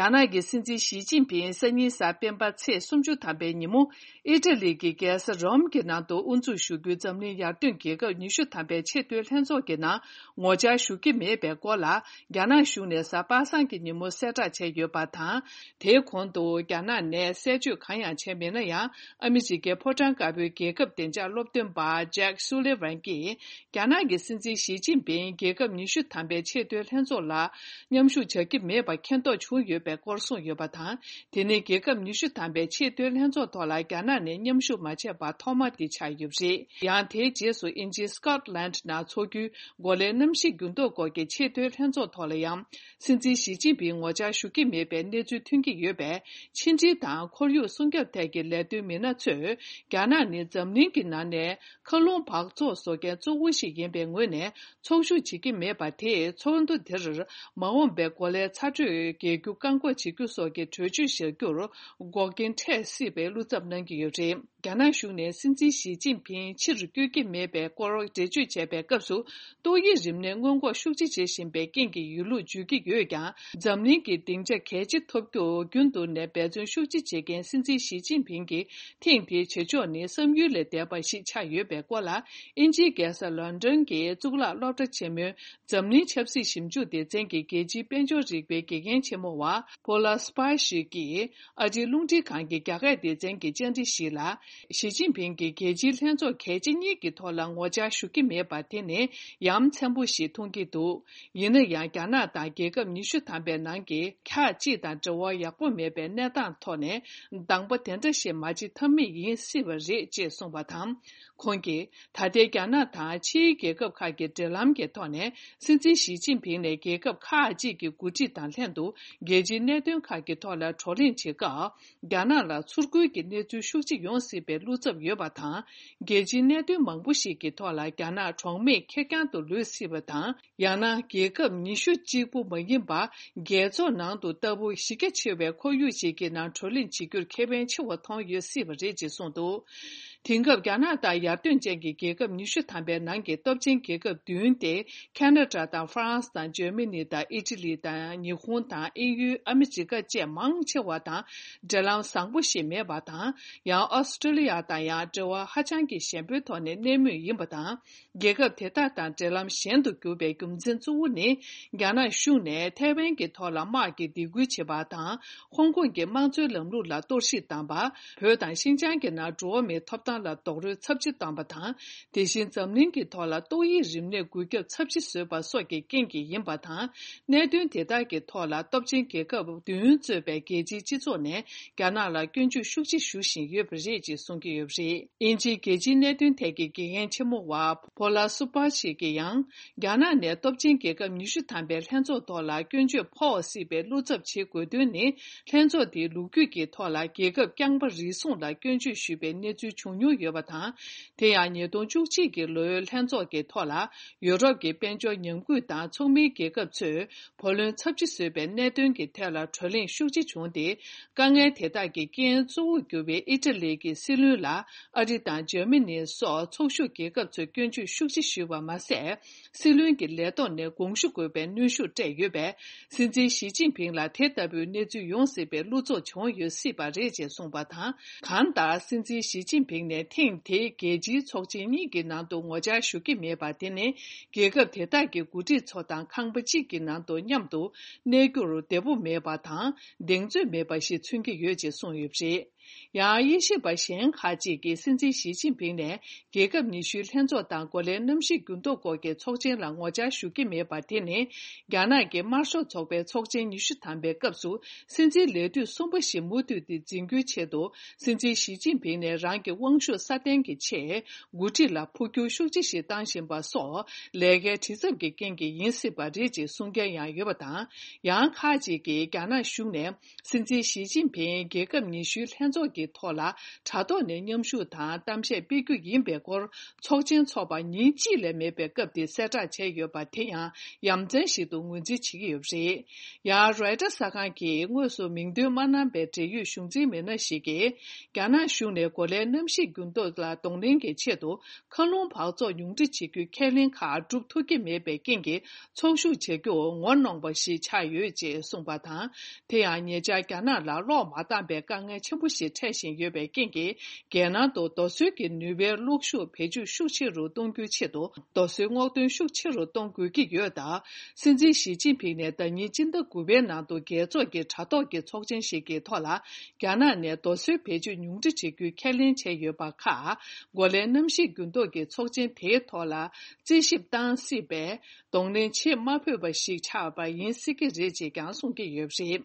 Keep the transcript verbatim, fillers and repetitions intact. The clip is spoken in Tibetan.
རྒྱ་ནག་གི་སྲིད་འཛིན་ཞི་ཅིན་ཕིང་སང་ཉིན་གཟའ་སྤེན་པ་ཚེས་སུམ་ཅུ་ཐམ་པའི་ཉིན་མོ། ཨི་ཊ་ལི་གི་རྒྱལ་ས་རོམ་གྱི་ནང་དུ་དབུ་འཛུགས་ཞུ་རྒྱུའི་འཛམ་གླིང་ཡར་ཐོན་རྒྱལ་ཁབ་ཉི་ཤུ་ཐམ་པའི་ཆེས་མཐོའི་ལྷན་ཚོགས་ཀྱི་ནང་ངོ་བཅར་ཞུ་གི་མེད་པའི་སྐོར་ལ། རྒྱ་ནག་གཞུང་ནས་གཟའ་པ་སངས་ཀྱི་ཉིན་མོ་གསལ་བསྒྲགས་བྱས་ཡོད་པ་དང་། དེའི་གོང་དུ་རྒྱ་ནག་ནས་གསལ་བརྗོད་གང་ཡང་བྱས་མེད་ན་ཡང་། ཨ་མི་རི་ཀའི་ཕོ་བྲང་དཀར་པོའི་རྒྱལ་ཁབ་བདེ་འཇགས་སློབ་སྟོན་པ་ཇེག་སུ་ལི་ཝན་གྱིས། རྒྱ་ནག་གི་སྲིད་འཛིན་ཞི་ཅིན་ཕིང་རྒྱལ་ཁབ་ཉི་ཤུ་ཐམ་པའི་ཆེས་མཐོའི་ལྷན་ཚོགས་ལ་མཉམ་ཞུགས་བྱ་གི་མེད་པ་མཁྱེན་རྟོགས་བྱུང་ཡོད་པའི་སྐོར་གསུངས་ཡོད་པ་དང་། དེ་ནི་རྒྱལ་ཁབ་ཉི་ཤུ་ཐམ་པའི་ཆེས་མཐོའི་ལྷན་ཚོགས་ཐོག་ལ་རྒྱ་ནག་ནས་མཉམ་ཞུགས་མ་བྱས་པ་ཐོག་མ་དེ་ཆགས་ཡོད་པ་རེད། ཡང་དེའི་རྗེས་སུ་དབྱིན་ཇིའི་སི་ཀོཊ་ལན་ནང་འཚོགས་རྒྱུའི་འགོ་ལས་གནམ་གཤིས་འགྱུར་ལྡོག་སྐོར་གྱི་ཆེས་མཐོའི་ལྷན་ཚོགས་ཐོག་ལ་ཡང་། སྲིད་འཛིན་ཞི་ཅིན་ཕིང་ངོ་བཅར་ཞུ་གི་མེད་པའི་གནས་ཚུལ་ཐོན་གྱི་ཡོད་པས། ཕྱི་འབྲེལ་དང་ཁོར་ཡུག་སྲུང་སྐྱོབ་ཐད་ཀྱི་ལས་དོན་མི་སྣ་ཚོས། རྒྱ་ནག་ནི་འཛམ་གླིང་གི་ནང་ནས། མཁའ་རླུང་འབག་བཙོག་བཟོ་མཁན་གཙོ་བོ་ཞིག་ཡིན་པའི་ངོས་ནས་ཚོགས་ཞུགས་བྱེད་ཀྱི་མེད་པ་དེས། ཚོགས་འདུ་དེར་མ་འོངས་པའི་འགོ་ལས་ཚ་དྲོད་རྒྱས་རྒྱུ་བཀག་འགོག་བྱེད་རྒྱུ་སོགས་ཀྱི་གྲོས་ཆོད་བཞག་རྒྱུར་འགོག་རྐྱེན་འཕྲད་སྲིད་པའི་བློ་འཚབ་གནང་གི་ཡོད་པ་རེད། རྒྱ་ནག་གཞུང་ནས་སྲིད་འཛིན་ཞི་ཅིན་ཕིང་ཕྱིར་བསྐྱོད་ཀྱི་མེད་པའི་སྐོར་འགྲེལ་བརྗོད་བྱས་པའི་སྐབས་སུ། ཏོག་དབྱིབས་རིམས་ནད་སྔོན་འགོག་ཤུགས་ཆེ་བྱེད་བཞིན་པའི་རྐྱེན་གྱིས་ཡོད་ལུགས་བརྗོད་ཀྱི་ཡོད་ཀྱང་། འཛམ་གླིང་གི་སྡིངས་ཆ་གལ་ཆེ་ཐོབ་རྒྱུར་རྒྱུན་དུ་ནས་འབད་བརྩོན་ཤུགས་ཆེ་བྱེད་མཁན་སྲིད་འཛིན་ཞི་ཅིན་ཕིང་གིས། ཐེངས་འདིའི་བྱེད་ཕྱོགས་ནི་བསམ་ཡུལ་ལས་འདས་པ་ཞིག་ཆགས་ཡོད་པའི་སྐོར་ལ། དབྱིན་ཇིའི་རྒྱལ་ས་ལོན་ཌོན་གྱི་གཙུག་ལག་སློབ་གྲྭ་ཆེན་མོའི་འཛམ་གླིང་ཆབ་སྲིད་ཞིབ་འཇུག་སྡེ་ཚན་གྱི་རྒྱལ་སྤྱིའི་དཔལ་འབྱོར་རིག་པའི་དགེ་རྒན་ཆེན་མོ་བ་པོ་ལ་སི་པཱ་ཤི་གིས་ཨ་རིའི་རླུང་འཕྲིན་ཁང་གི་རྒྱ་སྐད་སྡེ་ཚན་གྱི་བཅར་འདྲི་ཞིག་ལ། ཞི་ཅིན་ཕིང་གིས་རྒྱལ་སྤྱིའི་ལྷན་ཚོགས་གལ་ཆེ་གཉིས་ཀྱི་ཐོག་ལ་ངོ་བཅར་ཞུ་གི་མེད་པ་དེ་ནི་ཡ་མཚན་པོ་ཞིག་མཐོང་གི་འདུག་ཡིན་ན་ཡང་། རྒྱ་ནག་དང་རྒྱལ་ཁབ་ཉི་ཤུ་ཐམ་པའི་ནང་གི་ཁག་ཅིག་དང་འབྲེལ་བ་ཡག་པོ་མེད་པའི་གནས་སྟངས་ཐོག་ནས། གདམ་པ་དེ་འདྲ་ཞིག་མ་བྱེད་ཐབས་མེད་ཡིན་སྲིད་པ་རེད་ཅེས་གསུངས་པ་དང་། ཁོང་གིས། ད་ལྟའི་རྒྱ་ནག་དང་ཕྱིའི་རྒྱལ་ཁབ་ཁག་གི་འབྲེལ་ལམ་གྱི་ཐོག་ནས། སྲིད་འཛིན་ཞི་ཅིན་ཕིང་ནས་རྒྱལ་ཁབ་ཁག་ཅིག་གི་འགོ་ཁྲིད་དང་ལྷན་དུ། རྒྱལ་སྤྱིའི་གནད་དོན་ཁག་གི་ཐོག་ལ་བགྲོ་གླེང་བྱེད་སྐབས། རྒྱ་ནག་ལ་ཚུར་རྒོལ་གྱི་གནས་ཚུལ་ཤུགས་ཆེ་ཡོང་སྲིད་པའི་བློ་འཚབ་ཡོད་པ་དང་། རྒྱལ་སྤྱིའི་གནད་དོན་མང་པོ་ཞིག་གི་ཐོག་ལ་རྒྱ་ནག་གྲོགས་མེད་ཁེར་རྐྱང་དུ་ལུས་སྲིད་པ་དང་། ཡང་ན་རྒྱལ་ཁབ་ཉི་ཤུ་གཅིག་པུ་མ་ཡིན་པ། རྒྱལ་ཚོགས་ནང་དུ་ལྟ་བུ་གཞི་རྒྱ་ཆེ་བའི་ཁོར་ཡུག་ཞིག་གི་ནང་བགྲོ་གླེང་བྱེད་རྒྱུར་ཁེ་ཕན་ཆེ་བ་མཐོང་ཡོད་སྲིད་པ་རེད་ཅེས་གསུངས་འདུག་དེང་སྐབས་རྒྱ་ནག་ལྟར་ཡར་ཐོན་ཅན་གྱི་རྒྱལ་ཁབ་ཉི་ཤུ་ཐམ་པའི་ནང་གི་སྟོབས་ཆེན་རྒྱལ་ཁབ་བདུན་ཏེ། ཁ་ན་ཌ་དང་ཧྥ་རན་སི་དང་འཇར་མ་ནི་དང་ཨི་ཊ་ལི་དང་ཉི་ཧོང་དང་དབྱིན་ཡུལ། ཨ་མི་རི་ཀ་བཅས་མང་ཆེ་བ་དང་འབྲེལ་ལམ་བཟང་པོ་ཞིག་མེད་པ་དང་། ཡང་ཨོ་སི་ཀྲོ་ལི་ཡ་དང་ཡང་འབྲེལ་བ་ཧ་ཅང་གི་ཞན་པོའི་ཐོག་ནས་གནས་མུས་ཡིན་པ་དང་། རྒྱལ་ཁབ་དེ་དག་དང་འབྲེལ་ལམ་ཞན་དུ་གྱུར་པའི་རྒྱུ་མཚན་གཙོ་བོ་ནི། རྒྱ་ནག་གཞུང་ནས་ཐའེ་ཝན་གྱི་ཐོག་ལ་དམག་གི་སྡིགས་སྐུལ་བྱེད་པ་དང་། ཧོང་ཀོང་གི་དམངས་གཙོའི་ལམ་ལུགས་ལ་གཏོར་བཤིག་བཏང་པ། བོད་དང་ཤིན་ཅང་གི་ནང་འགྲོ་བ་མིའི་ཐོབ་ཐང་ལ་རྡོག་རོལ་ཚབས་ཆེ་བཏང་པ་དང་། དེ་བཞིན་འཛམ་གླིང་གི་ཐོག་ལ་ཏོག་དབྱིབས་རིམས་ནད་འགོས་ཁྱབ་ཚབས་ཆེ་བཟོས་པ་སོགས་ཀྱི་རྐྱེན་གྱིས་ཡིན་པ་དང་། གནད་དོན་དེ་དག་གི་ཐོག་ལ་སྟོབས་ཆེན་རྒྱལ་ཁབ་བདུན་གཙོས་པའི་རྒྱལ་སྤྱིའི་སྤྱི་ཚོགས་ནས་རྒྱ་ནག་ལ་སྐྱོན་བརྗོད་ཤུགས་ཆེ་ཞུ་བཞིན་ཡོད་པ་རེད་ཅེས་གསུང་གི་ཡོད་པ་རེད། དབྱིན་ཇིའི་རྒྱལ་སྤྱིའི་གནད་དོན་ཐད་ཀྱི་དགེ་རྒན་ཆེན་མོ་བ་པོ་ལ་སུ་པ་ཤི་གིས་ཡང་། རྒྱ་ནག་ནས་སྟོབས་ཆེན་རྒྱལ་ཁབ་ཉི་ཤུ་ཐམ་པའི་ལྷན་ཚོགས་ཐོག་ལ་སྐྱོན་བརྗོད་ཕོག་སྲིད་པའི་བློ་འཚབ་བྱེད་དགོས་དོན་ནི། ལྷན་ཚོགས་དེའི་ལོ་རྒྱུས་ཀྱི་ཐོག་ལ་རྒྱལ་ཁབ་རྐྱང་པ་རེ་ཟུང་ལ་སྐྱོན་བརྗོད་ཞུས་པའི་གནས་ཚུལ་བྱུང་མྱོང་ཡོད་པ་དང་། དེ་ཡང་ཉིས་སྟོང་བཅུ་གཅིག་གི་ལོའི་ལྷན་ཚོགས་ཀྱི་ཐོག་ལ། ཡུ་རོབ་ཀྱི་དཔལ་འབྱོར་ཉམས་རྒུད་དང་ཚོགས་མིའི་རྒྱལ་ཁབ་ཚོས། བུ་ལོན་ཚབས་ཆེ་བཟོས་པའི་གནད་དོན་གྱི་ཐད་ལ་བགྲོ་གླེང་ཤུགས་ཆེ་བྱུང་སྟེ། དཀའ་ངལ་དེ་དག་གི་རྐྱེན་གཙོ་བོར་གྱུར་པའི་ཨི་ཊ་ལི་གི་སྲིད་བློན་ལ་ཨ་རི་དང་འཇར་མ་ནི་སོགས་ཚོགས་ཞུགས་རྒྱལ་ཁབ་ཚོས་སྐྱོན་བརྗོད་ཤུགས་ཆེ་ཞུས་པ་མ་ཟད། སྲིད་བློན་གྱི་ལས་ཐོག་ནས་དགོངས་ཞུ་དགོས་པའི་གནོན་ཤུགས་སྤྲད་ཡོད་པས། སྲིད་འཛིན་ཞི་ཅིན་ཕིང་ལ་དེ་ལྟ་བུའི་གནས་ཚུལ་ཡོང་སྲིད་པའི་བློ་འཚབ་བྱུང་ཡོད་སྲིད་པ་རེད་ཅེས་གསུངས་པ་དང་། གང་ལྟར་སྲིད་འཛིན་ཞི་ཅིན་ཕིང་ནས་ཐེངས་དེའི་རྒྱལ་སྤྱིའི་ཚོགས་ཆེན་གཉིས་ཀྱི་ནང་དུ་ངོ་བཅར་ཞུ་གི་མེད་པ་དེ་ནི། རྒྱལ་ཁབ་དེ་དག་གི་འགོ་ཁྲིད་ཚོ་དང་ཁང་པ་གཅིག་གི་ནང་དུ་མཉམ་དུ་གནས་རྒྱུར་བདེ་པོ་མེད་པ་དང་གདེང་ཚོད་མེད་པ་ཞིག་མཚོན་གྱི་ཡོད་ཅེས་གསུངས་ཡོད་པ་རེད། ཡང་དབྱེ་ཞིབ་པ་གཞན་ཁག་ཅིག་གིས་སྲིད་འཛིན་ཞི་ཅིན་ཕིང་ནས་རྒྱལ་ཁབ་ཉི་ཤུའི་ལྷན་ཚོགས་དང་འགོ་ལས་གནམ་གཤིས་འགྱུར་ལྡོག་སྐོར་གྱི་ཚོགས་ཆེན་ལ་ངོ་བཅར་ཞུ་གི་མེད་པ་དེ་ནི། རྒྱ་ནག་གི་དམར་ཤོག་ཚོགས་པའི་ཚོགས་ཆེན་ཉི་ཤུ་ཐམ་པའི་སྐབས་སུ། སྲིད་འཛིན་ལས་དུས་གསུམ་པ་ཞིག་མུ་མཐུད་དེ་འཛིན་རྒྱུའི་ཆེད་དུ། སྲིད་འཛིན་ཞི་ཅིན་ཕིང་ནས་རང་གི་དབང་ཤུགས་སྲ་བརྟན་གྱི་ཆེད། འགོ་ཁྲིད་ལ་འཕོ་འགྱུར་ཤུགས་ཆེ་ཞིག་བཏང་བཞིན་པ་སོགས། ལས་ཀའི་བྲེལ་འཚུབ་ཀྱི་རྐྱེན་གྱིས་ཡིན་སྲིད་པ་རེད་ཅེས་གསུང་མཁན་ཡང་ཡོད་པ་དང་། ཡང་ཁག་ཅིག་གིས་རྒྱ་ནག་གཞུང་ནས། སྲིད་འཛིན་ཞི་ཅིན་ཕིང་རྒྱལ་ཁབ་ཉི་ཤུའི་ལྷན་ ཚོགས་ཀྱི་ཐོག་ལ་དྲ་ཐོག་ནས་མཉམ་ཞུགས་དང་གཏམ་བཤད་སྤེལ་རྒྱུ་ཡིན་པའི་སྐོར་ཚོགས་ཆེན་འཚོགས་པ་ཉིན་གཅིག་ལས་མེད་པའི་སྐབས་དེ་གསལ་བསྒྲགས་བྱས་ཡོད་པ་དེ་ཡང་ཡ་མཚན་ཞིག་ཏུ་ངོས་འཛིན་བྱེད་ཀྱི་ཡོད་པ་རེད། ཡང་རོའི་ཊར་གསར་ཁང་གིས་དངོས་སུ་མིང་འདོན་མ་གནང་པའི་འབྲེལ་ཡོད་གཞུང་འཛིན་མི་སྣ་ཞིག་གིས། རྒྱ་ནག་གཞུང་ནས་གོ་ལའི་གནམ་གཤིས་འགྱུར་ལྡོག་ལ་གདོང་ལེན་གྱི་ཆེད་དུ། མཁའ་རླུང་འབག་བཙོག་ཉུང་འཕྲི་བྱེད་རྒྱུའི་ཁས་ལེན་ཁག་སྒྲུབ་ཐུབ་ཀྱི་མེད་པའི་རྐྱེན་གྱིས། ཚོགས་ཞུགས་བྱ་རྒྱུར་ངོ་གནོང་བ་ཞིག་ཆགས་ཡོད་ཅེས་གསུངས་པ་དང་། དེ་ཡང་ཉེ་ཆར་རྒྱ་ནག་ལ་གློག་མ་འདང་པའི་དཀའ་ངལ་ཆེན་པོ་ཞིག་འཕྲད་བཞིན་ཡོད་པའི་རྐྱེན་གྱིས། རྒྱལ་ནང་དུ་རྡོ་སོལ་གྱི་ནུས་པའི་གློག་ཤུགས་བེད་སྤྱོད་ཤུགས་ཆེ་རུ་གཏོང་རྒྱུའི་ཆེད་དུ། རྡོ་སོལ་སྔོག་འདོན་ཤུགས་ཆེ་རུ་གཏོང་དགོས་ཀྱི་ཡོད་སྟབས། སྲིད་འཛིན་ཞི་ཅིན་ཕིང་ནས་ཟླ་ཉིན་སྤྱི་ཟླ་དགུ་པའི་ནང་དུ་རྒྱལ་ཚོགས་ཀྱི་དྲ་ཐོག་གི་ཚོགས་ཆེན་ཞིག་གི་ཐོག་ལ། རྒྱ་ནག་ནས་རྡོ་སོལ་བེད་སྤྱོད་ཉུང་འཕྲི་བྱེད་རྒྱུའི་ཁས་ལེན་བྱས་ཡོད་པ་ཁག་གོ་ལའི་གནམ་གཤིས་འགྱུར་ལྡོག་གི་ཚོགས་ཆེན་དེའི་ཐོག་ལ་རྩིས་ཞིབ་བཏང་སྲིད་པས། གདོང་ལེན་བྱེད་མ་ཕོད་པ་ཞིག་ཆགས་པ་ཡིན་སྲིད་ཀྱི་རེད་ཅེས་ཀྱང་གསུང་གི་ཡོད་པ་རེད།